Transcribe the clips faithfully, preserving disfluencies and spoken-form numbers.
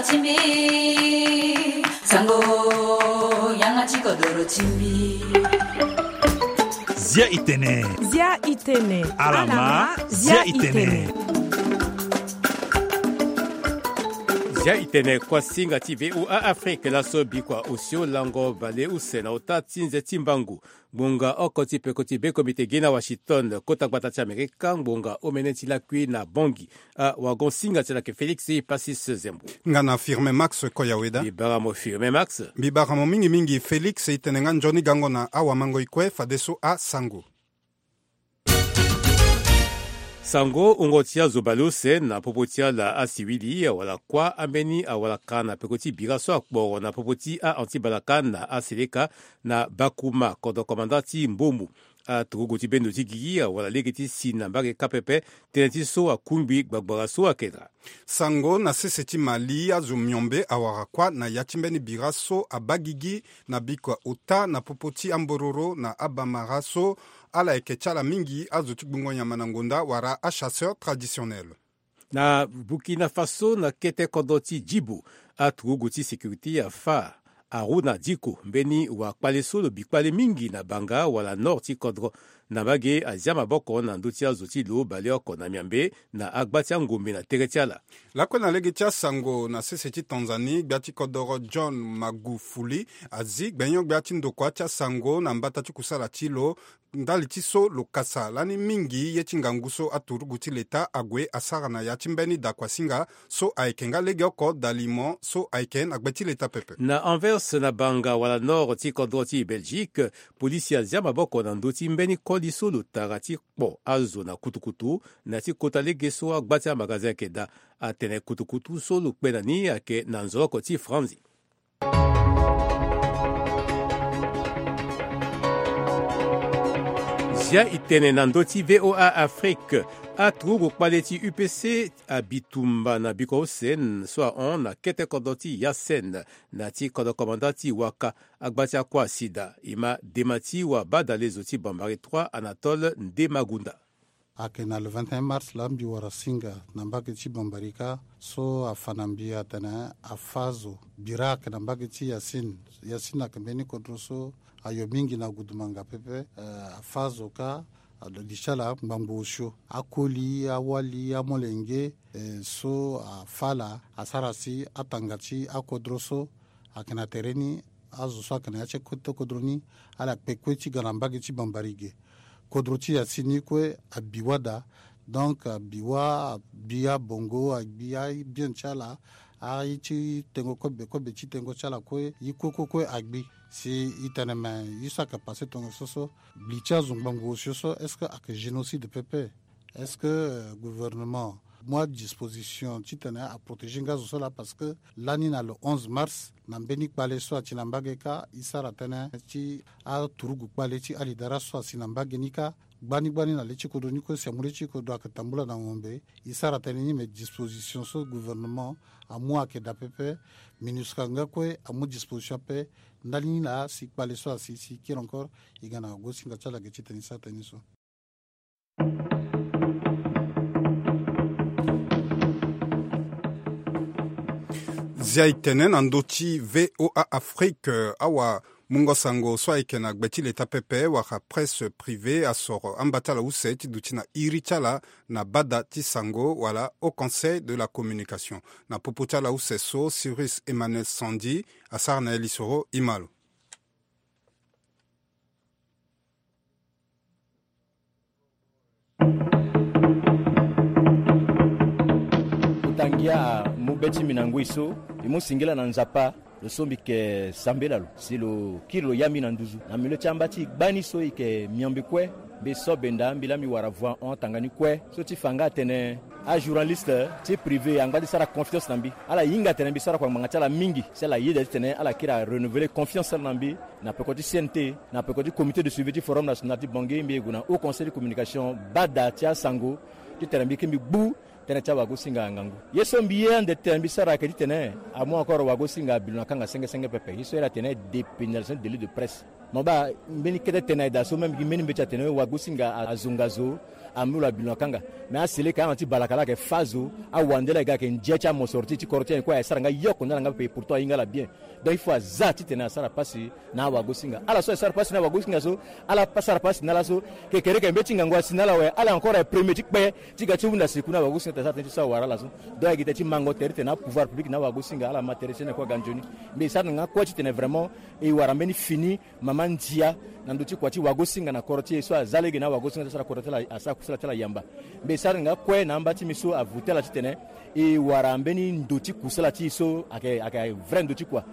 Timbi, sango, yanga ti kodoro timbi. Zia itene. Zia itene. Alama, zia itene. Zia itene, kuasinga ti V O A Afrique, laso bikua osio lango bale use na ota ti nze ti mbangu. Ngbonga oko ti peko ti be komite gi na Washington, kota gbata ti Amerika, ngbonga omene ti lakui na Bangui. A wagon singa ti ala yeke Félix Passis Zembo. Nga na Firmin Max Koyaweda. Mbi bara mo Firmin Max. Mbi bara mo mingi mingi Félix, itene nga nzoni gango na awamangoi kue fadeso asango. Sango, wungo ti azo baleuse na popo ti ala asiwili awara kuâ ambeni awalaka na peko ti bira so akporo na popo ti a-anti-balaka na aseleka na Bakouma, kodro komanda ti Mbombo. Aturugu ti bendo ti gigi awara lege ti si na mbage kâ pepe, tënë ti so akungbi gbagbara so ayeke dra. Sango, na sese ti Mali, azo miombe awara kuâ na ya ti mbeni bira so abaa gigi na bikua ota na popo ti ambororo na abamara so ala yeke ti ala mingi azo ti gbungo nyama na ngonda wala achasseur traditionnel. Na Burkina Faso, na kete kodro ti Djibo, aturugu ti sécurité afâ Harouna Diko, mbeni wakpale so lo bi kpale mingi na Banga wala nord ti kodro, na mbage azia maboko na ndö ti azo ti lo baleoko na Miambe na agba ti angombe na tere ti ala. Lakue na lege ti asango, na sese ti Tanzanie, gbia ti kodoro John Magufuli azi gbenyo-gbia ti ndokua ti asango na mbata ti kusala ti lo ndali ti so lo kasa lani mingi ye ti ngangu so aturugu ti leta ague asara na ya ti mbeni dakuasinga so ayeke nga legeoko dalimo so ayeke na gbe ti leta pepe. Na Anvers, na Banga wala nord ti kodro ti Belgique, polisi azia maboko na ndö ti mbeni koli so lo tara ti kpo azo na kutukutu na ya ti kota lege so agba ti amagazin ayeke daa. Atene kutukutu so lo kpe na ni ayeke na nzoloko ti Franzi. Zia itene na ndö ti V O A Afrique. Aturugu kpale ti U P C abi tumba na bikua use so ahon na kete kodro ti Yasen, na ti kodro komanda ti Waka, agba ti akua asida. E ma dema ti wabadalezo ti Bambari trois, Anatole Ndemagunda. Ayeke na le vingt et un mars laa mbi wara singa na mbage ti Bambarika so afa na mbi atene afâ zo. Bira ayeke na mbage ti Yasin. Yasin ayeke mbeni kodro so ayo mingi na gudumanga pepe. Eh, afâ zo kâ, alo li ti ala ngbangbo osio. Akoli, awali, amolenge, eh, so afâ ala asara si atanga ti akodro so ayeke na tere ni, azo so ayeke na ya ti kote kodro ni, ala kpe kue ti ga na mbage ti Bambari ge. Kodro ti Yasin ni kue abi wâ daa. Donc abi wâ, abi abongo, abi abien ti ala, aye ti tengo kobe, kobe ti tengo ti ala kue, ye kue kue kue agbi. Si e tene me ye so ayeke passé tongaso so, li ti azo ngbangbo osio so, est-ce que ayeke génocide pepe? Est-ce que, euh, gouvernement amu adisposition titene aprotégé nga zo so laa? Parce que lani na le onze mars, na mbeni kpale so ati na mbage kâ, e sara tënë ti aturugu kpale ti alidara so asi na mbage ni kâ. Gbani gbani na le ti kodro ni kue, si amu le ti kodro ayeke tambula na ngombe. E sara tënë ni, me disposition so gouvernement amu ayeke daa pepe. MINUSCA nga kue amu disposition ape. Ndali ni laa si kpale so asi, si e kiri encore, e ga na gosinga ti ala ge titene e sara tënë ni so. Zia e tene na ndö ti V O A Afrique, awamungo sango so ayeke na gbe ti leta pepe wala presse privée asoro amba ti ala use ti duti na iri ti ala na bada ti sango wala Haut Conseil de la Communication. Na popo ti ala use so, Cyrus Emmanuel Sandi asara na ye lisoro, e ma lo. Kota ngia amu be ti mbi na ngoi so, mbi mu singila na Nzapa, lo so mbi yeke sambela lo si lo kiri lo ya mbi na nduzu. Na milieu ti amba ti gbani so e yeke miombe kue, mbi so benda mbi laa mbi wara voix en off tanga ni kue. So ti fa nga atene ajournaliste ti privé angba ti sara confiance na mbi. Ala hinga atene mbi sara kua ngbanga ti ala mingi, si ala yeda titene ala kiri arenouveler confiance ti ala na mbi. Na peko ti C N T, na peko ti comité de suivi ti Forum National ti Bangui, mbi ye gue na Haut Conseil de Communication, bada ti asango, titene mbi kiri mbi gbu Tënë ti awagosinga angangu. Ye so mbi ye ande tene mbi sara ayeke titene amu encore wagosinga abi lo na kanga senge senge pepe. Ye so ye la tene dépénalisation délit de presse. Mo baa mbeni kete tene ayeke daa so même gi mbeni mbeti atene wagosinga azonga zo, amu lo abi lo na kanga. Mais asele ka ala ti balaka la ayeke fâ zo, awande la e ga ayeke ndia ti amosoro ti ti koro ti ayen kue aye sara nga yoko na ala nga pepe, pourtant aye nga ala bien. Donc il faut aza titene asara pasi na awagosinga. Ala so aye sara pasi na awagosinga so, ala pa sara pasi na ala so, kekereke mbeti ngangu asi na ala awe, ala encore aye premier ti kpe ti ga ti hunda siku na awagosinga tene asara tënë ti so awara ala so. Donc ayeke tënë ti mango tere titene apouvoir public na awagosinga ala ma tere ti tene kue aga nzoni. Mbi sara na nga kue titene vraiment e wara mbeni fini mama ndia na ndö ti kua ti wagosinga na koro ti e so aza lege na awagosinga ti asara koro ti ala, asara kusala ti ala yamba. Mbi sara na nga kue na amba ti mbi so avu ti ala titene e wara mbeni ndo ti kusala ti e so ayeke, ayeke vrai ndo ti kua.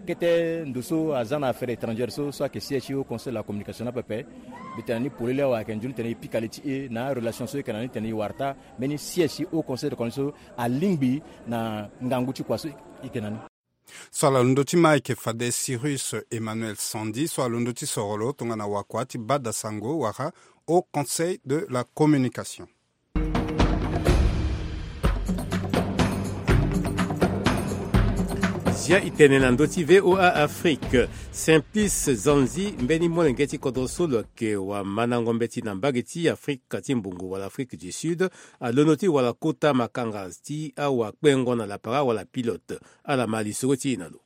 Kete ndo so aza na affaire étrangère so, so ayeke siège ti haut conseil de la communication na pepe. Mbi tene na ni polele awe ayeke nzoni tene e pika li ti e na arelation so e yeke na ni tene e wara taa mbeni siège ti haut conseil de la communication so alingbi na ngangu ti kua so e yeke na ni. So ala londo ti ma ayeke fade Cyrus Emmanuel Sandi so alondo ti soro lo tongana wakua ti bada sango wala haut conseil de la communication. Zia e tene na ndö ti V O A Afrique. Simplice Zanzi, mbeni molenge ti kodro so lo yeke wamandango mbeti na mbage ti Afrika ti Mbongo wala Afrique du Sud, alondo ti wara kota makanga ti awakpengo na lapara wala pilote. Ala ma lisoro ti e na lo.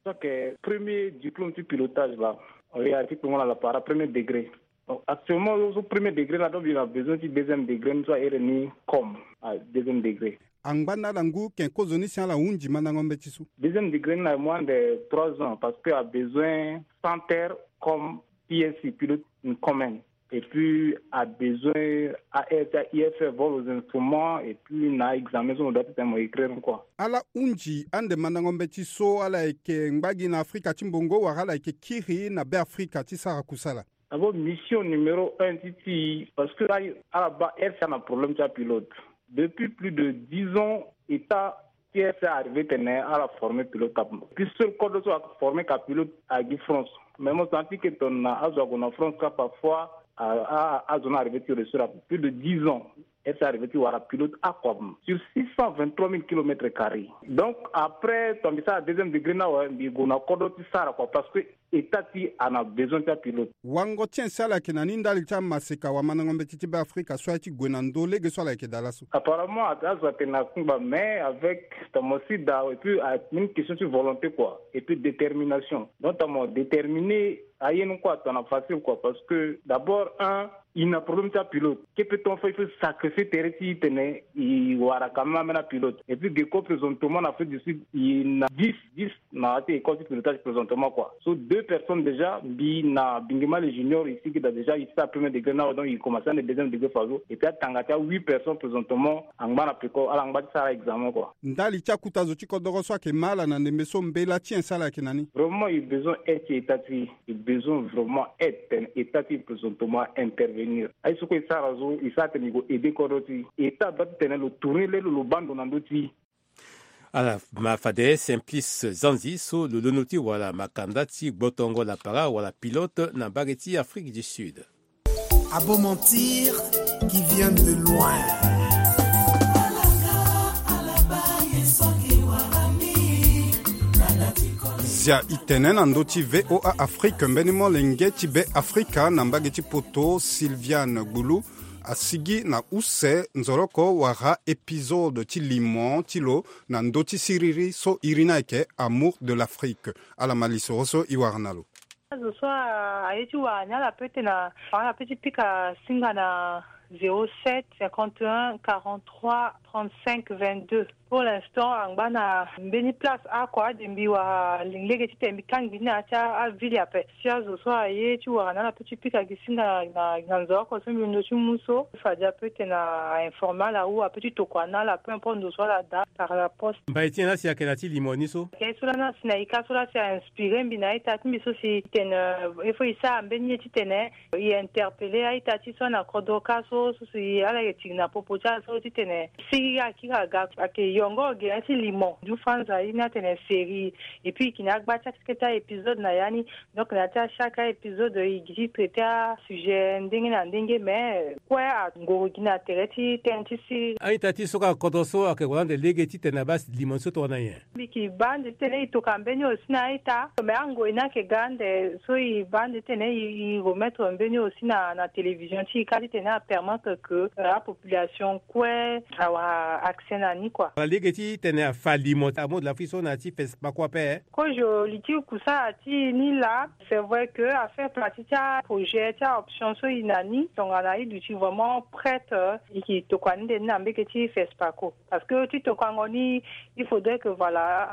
Donc, euh, premier diplôme ti pilotage la, on est à ti kpengo na lapara premier degré. Donc actuellement, au premier degré la, donc il a besoin du deuxième degré, nous sommes ni comme à deuxième degré. Angba na ala ngu ken kozoni si ala hunzi mandango mbeti so. Deuxième degré na moins de trois ans parce que a besoin sans terre comme P S C, pilote in common. Et puis a besoin A R T, I F R, voir les instruments, et puis na examen so mo doit ti tene mo écrire quoi. Ala hunzi ande mandango mbeti so ala yeke ngba gi na Afrika ti Mbongo wala ala yeke kiri na Be Afrika ti sara kusala? D'abord mission numéro un ti ti parce que ala baa R C A na problème ti apilote. Depuis plus de dix ans, état T S A arrivé tene ala former pilote ape. Puis seul code so a former ka pilote agi France. Mais mo senti que tongana azo ague na France ka parfois azo na arrivé ti reçu ape plus de dix ans. Est arrivé ti wara pilote akua sur six cent vingt-trois mille kilomètres carrés. Donc après ton mbi sara deuxième degré na awe mbi gue na kodro ti sara kua parce que état ti a na besoin ti apilote. Wango ti en si ala yeke na ni ndali ti amaseka wamandango mbeti ti Be Afrika so aye ti gue na ndö lege so ala yeke daa laso? Apparemment azo atene akungba mais avec ton mbi si daa et puis a une question ti volonté quoi et puis détermination. Donc ton mbi déterminé aye ni kue atona facile quoi parce que d'abord un il na problème ti apilote. Ke pe ton fa il faut sacrifier tere ti tene i wara quand même amena pilote et puis geko présentement na Afrique du Sud i na dix dix na ya ti école ti pilotage présentement quoi. So deux personnes déjà mbi na bingema le junior ici qui da déjà i sara premier degré na awe donc i commencer ande deuxième degré fazo et puis atanga ti a huit personnes présentement angba na peko ala ngba ti sara examen quoi. Ndali ti akuta zo ti kodoro so ayeke ma ala na ndembe so mbela ti en si ala yeke na ni? Vraiment i besoin aide ti état ti i besoin vraiment aide tene état ti présentement intervenir aye so kue i sara zo i sara tene i go aider kodro ti état doit ti tene lo tourner lelo lo baa ndo na ndö ti. Ala ma fade Simplice Zanzi so lo londo ti wala makanda ti gbotongo lapara wala pilote na mbage ti Afrique du Sud. A beau mentir qui vient de loin. Zia i tene na ndö ti V O A Afrique mbeni molenge ti Be Afrika na mbage ti poto Sylviane Gbulu asigi na use nzoroko wala épisode ti limo ti lo na ndö ti siriri so iri ni ayeke Amour de l'Afrique. Ala ma lisoro so i wara na lo. Azo so aye ti wara ni ala peut ti na ala peut ti pika singa na zéro sept cinquante et un quarante-trois trente-cinq vingt-deux. Pour l'instant angba na mbeni place akua ade mbi wara lingbi lege titene mbi kangbi ni na ya ti aville ape. Si azo so aye ti wara na ala peut ti pika gi singa na, na, na nzoroko so mbi londo ti mu so fade ape titene a informe ala ou ape ti tokua na ala peu importe ndo so ala daa par la poste. Mbai ti nyen la si ayeke na ya ti limo ni so? Ayeke so la na si na ika so la si a inspiré mbi na a-ita ti mbi so si tene, euh, il faut i sara mbeni ye titene i interpellé a-ita ti so na kodro ka so so si ala yeke tiki na popo ti ala so titene si Kira kira ga ake yongo gere ti limon du fanza ye ni atene série. Et puis i kina agba ti akete ti a-épisode na ya ni. Donc na ya ti a chaque a-épisode i gi ti traité a-sujet ndenge na ndenge, mais kue angoro gi na tere ti tënë ti siriri. A-ita ti so ka kodro so ake wara ande lege titene abaa limon so tongana nyen? Mbi ki baa ande titene i toka mbeni aussi na a-ita, mais angoi ni ake ga ande so i baa ande titene i remettre mbeni aussi na na télévision ti i kâ titene apermettre que apopulation kue awara accès na ni kua. Ala lege titene afa limon amondo la fui so na ya ti fespako ape. Kozo li ti kusala ti ni laa. C'est vrai que affaire partie ti aprojet ti aoption so i na ni tongana i duti vraiment prête, i ki tokua ni nde ni na mbege ti fespako. Parce que ti tokuango ni il faudrait que voilà,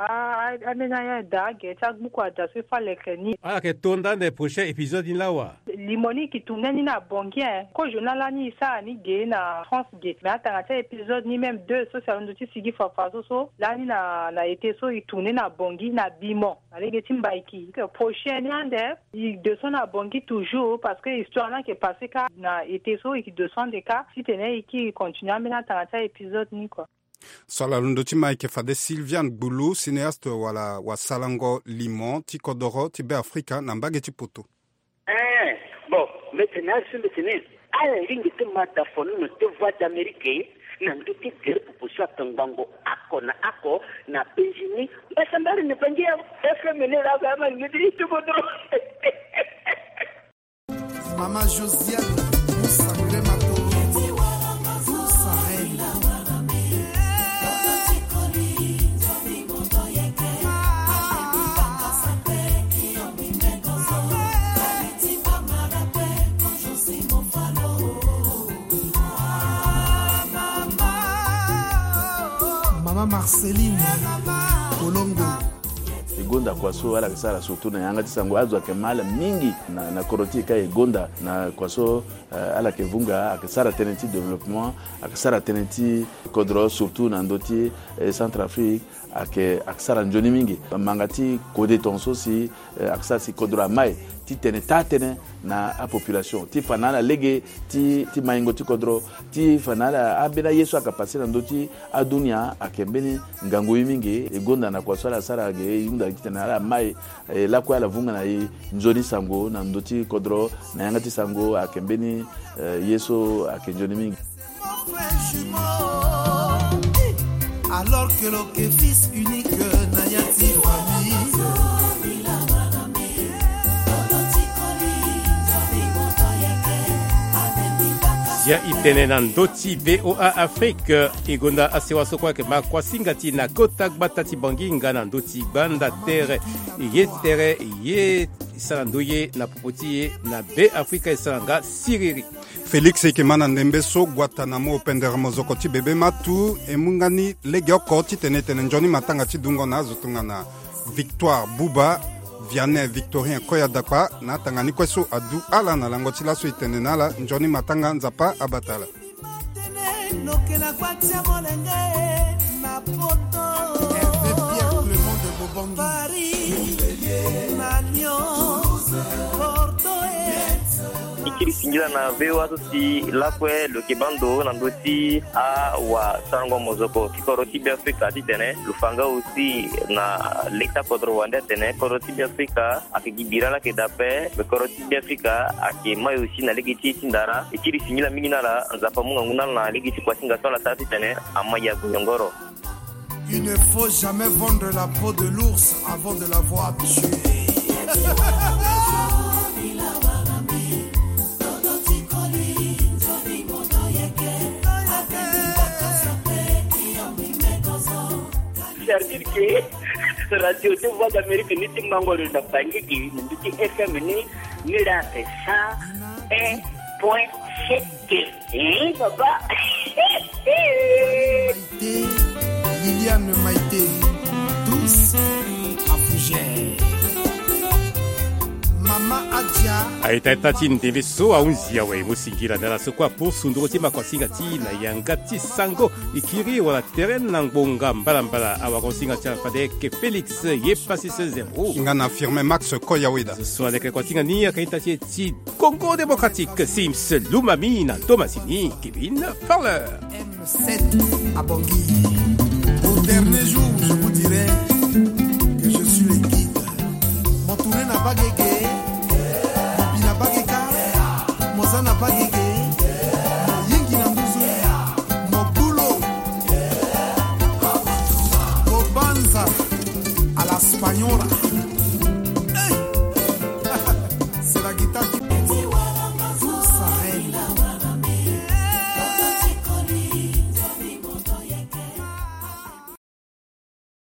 ambeni aya daa ge ti agbuku ada so i fa leke ni. Ala yeke to nda ande prochain épisode ni laa wa? Limon ni i ki tourner ni na bongi e. Kozo na lani i sara ni ge na France ge, mais atanga ti a-épisode ni même deux so si alondo ti sigi fafa so so lani na na été so i tourner na bongi na bimon na lege ti mbaiki. Prochain ni ande i descend na bongi toujours parce que histoire ni ake passe kâ na été so i ki descend kâ titene i ki continuer ambeni atanga ti a-épisode ni kua. So ala londo ti ma eke fade Sylviane Gbulu, cinéaste wala wasalango limon ti kodoro ti Be Afrika na mbage ti poto. Eh, bon, mete na asu mete ne. Ala ringi ti ma da fono na te Voix d'Amérique na ndö ti tere popo so atongbango ako na ako na penzi ni. Mbasambari na bangi ya F M N la ba ma ngedi ti kodoro. Mama Josiane Musa Mrema Toro, Musa Reine. Mama Marceline Kolongo. E gonda kua so ala yeke sara surtout na yanga ti sango, azo ayeke ma ala mingi na, na kodro ti e kâ e gonda na kua so, eh, ala yeke vunga, ayeke sara tënë ti développement, ayeke sara tënë ti kodro surtout na ndö ti, eh, Centrafrique, ayeke, ayeke sara nzoni mingi. Manga ti kode tongaso si, eh, ayeke sara si kodro amai titene taa tënë na apopulation ti fa na ala lege ti, ti maingo ti kodro, ti fa na ala ambeni aye so ayeke passé na ndö ti adunia ayeke mbeni ngangu ye mingi. E gonda na kua so ala sara ge e hunda titene ala mai, e lakue ala vunga na e nzoni sango na ndö ti kodro na yanga ti sango ayeke mbeni, eh, ye so ayeke nzoni mingi. Alors que lo yeke fils unique na ya ti famille. Zia e tene na ndö ti V O A Afrique, e gonda asewa so kue ayeke ma kuasinga ti na kota gbata ti Bangi nga na ndö ti gbanda tere. Ye tere ye sara ndoye na popo ti e na Be Afrika e sara nga siriri. Félix e yeke ma na ndembe so Guatanamo pendere mozoko ti bebe matu e mu nga ni legeoko titene e tene nzoni matanga ti dungo na azo tongana Victoire Buba, Vianney Victorien Koya Dakpa na atanga ni kue so adu ala na lango ti laso e tene na ala nzoni matanga, Nzapa abata ala. E kiri singila na V O A so si lakue lo yeke baa ndo na ndö ti awasarango mozoko ti kodro ti Be Afrika titene lo fa nga aussi na leta kodro wande atene kodro ti Be Afrika ayeke gi bira laa ayeke daa ape, me kodro ti Be Afrika ayeke mai aussi na lege ti e ti ndara. E kiri singila mingi na ala, Nzapa amu ngangu na ala na lege ti kuasinga so ala sara titene amai ague yongoro. Il ne faut jamais vendre la peau de l'ours avant de l'avoir tué. C'est-à-dire que radio de Voix d'Amérique ni ti mango lo na bangi gi na ndö ti F M ni, ni la cent un point sept. Eh, papa. Maïté, Liliane Maïté, douce à fougère. Maman Aita ita ti ndembe so ahunzi awe mo singila na ala so kue apusu nduru ti makosinga ti na yanga ti sango ikiri wala tere na ngbonga mbalambala awa kosinga ti ala fadeke Félix ye pasi se zero. Nga na firme Max Koyaweda. So aleke kosinga ni aka ita ti e ti Congo Démocratique, Sims Lumami na Thomasini Kevin Fowler. M sept à Bangui. Au dernier jour, je vous dirai que je suis le guide. Mon tourné na bagege, mon bina bageka, mon zana bagege, mon yingi na nduzu, mon bulo, mon banza à la spagnola.